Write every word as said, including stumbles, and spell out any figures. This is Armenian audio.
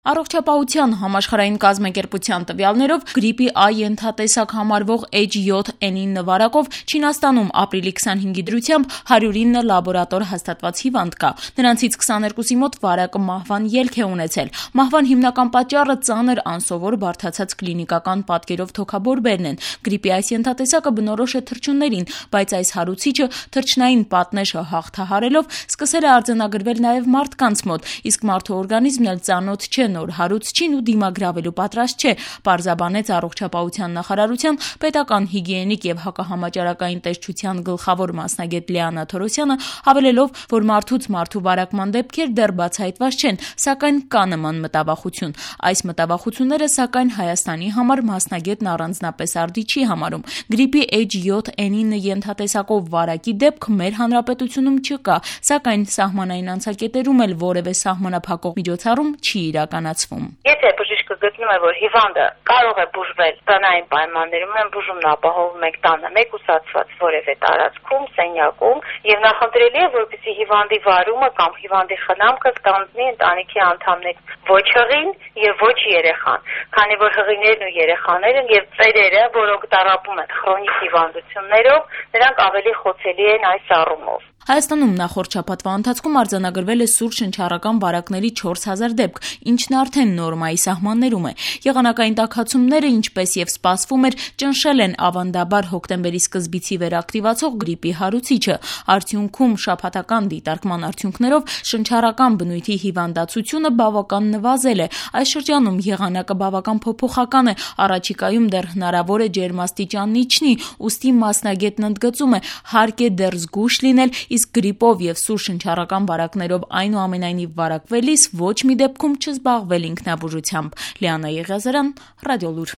Առողջապահության համաշխարհային կազմակերպության տվյալներով գրիպի A ենթատեսակ համարվող H seven N nine վարակով Չինաստանում ապրիլի քսանհինգի դրությամբ հարյուր ինը լաբորատոր հաստատված հիվանդ կա։ Նրանցից քսաներկուսի մոտ վարակը մահվան ելք է ունեցել։ Մահվան հիմնական պատճառը ծանր անսովոր բարդացած կլինիկական պատկերով թոքաբորբերն են։ Գրիպի այս ենթատեսակը բնորոշ է թռչուններին, բայց այս հարուցիչը թռչնային պատնեշը հաղթահարելով սկսել է արձանագրվել նաև մարդկանց մոտ, իսկ մարդու օրգանիզմն էլ ծանոթ չէ նոր հարուցչին ու դիմագրավելու պատրաստ չէ, պարզաբանեց Առողջապահության նախարարության պետական հիգիենիկ եւ հակահամաճարակային տեսչության գլխավոր մասնագետ Լիանա Թորոսյանը, հավելելով, որ մարդուց մարդու վարակման դեպքեր դեռ բացահայտված չեն, սակայն կա նման մտավախություն։ Այս մտավախությունները, սակայն, Հայաստանի համար մասնագետն առանձնապես արդի չի համարում։ Գրիպի H seven N nine ենթատեսակով վարակի դեպք մեր հանրապետությունում չկա, սակայն սահմանային անցակետերում էլ որևէ սահմանափակող միջոցառում չի իրականացվում։ Եթե բժիշկը գտնում է, որ հիվանդը կարող է բուժվել տնային պայմաններում, ուրեմն բուժումն ապահովում եք տանը, մեկուսացված որևէ տարածքում, սենյակում, եւ նախընտրելի է, որպեսզի հիվանդի վարումը կամ հիվանդի խնամքը ստանձնի ընտանիքի անդամներ, ոչ հղին եւ ոչ երեխան, քանի որ հղիներն ու երեխաները եւ ծերերը, որոնք տառապում են քրոնիկ հիվանդություններով, նրանք ավելի խոցելի են այս առումով։ Հայաստանում նախորդ շաբաթվա ընթացքում արձանագրվել է սուր շնչառական վարակների չորս հազար դեպք, ինչն արդեն նորմայի սահմաններում է։ Եղանակային տաքացումները, ինչպես եւ սպասվում էր, ճնշել են ավանդաբար հոկտեմբերի սկզբից ի վեր ակտիվացող գրիպի հարուցիչը։ Արդյունքում շաբաթական դիտարկման արդյունքներով շնչառական բնույթի հիվանդացությունը բավական նվազել է։ Այս շրջանում եղանակը բավական փոփոխական է, առաջիկայում դեռ հնարավոր է ջերմաստիճանն իջնի, ուստի մասնագետն ընդգծում է, հարկ է դեռ զգույշ լինել, իսկ գրիպով եւ սուր շնչառական վարակներով այնուամենայնիվ վարակվելիս ոչ մի դեպքում չզբաղվել ինքնաբուժությամբ։ Լիանա Եղիազարյան, Ռադիոլուր։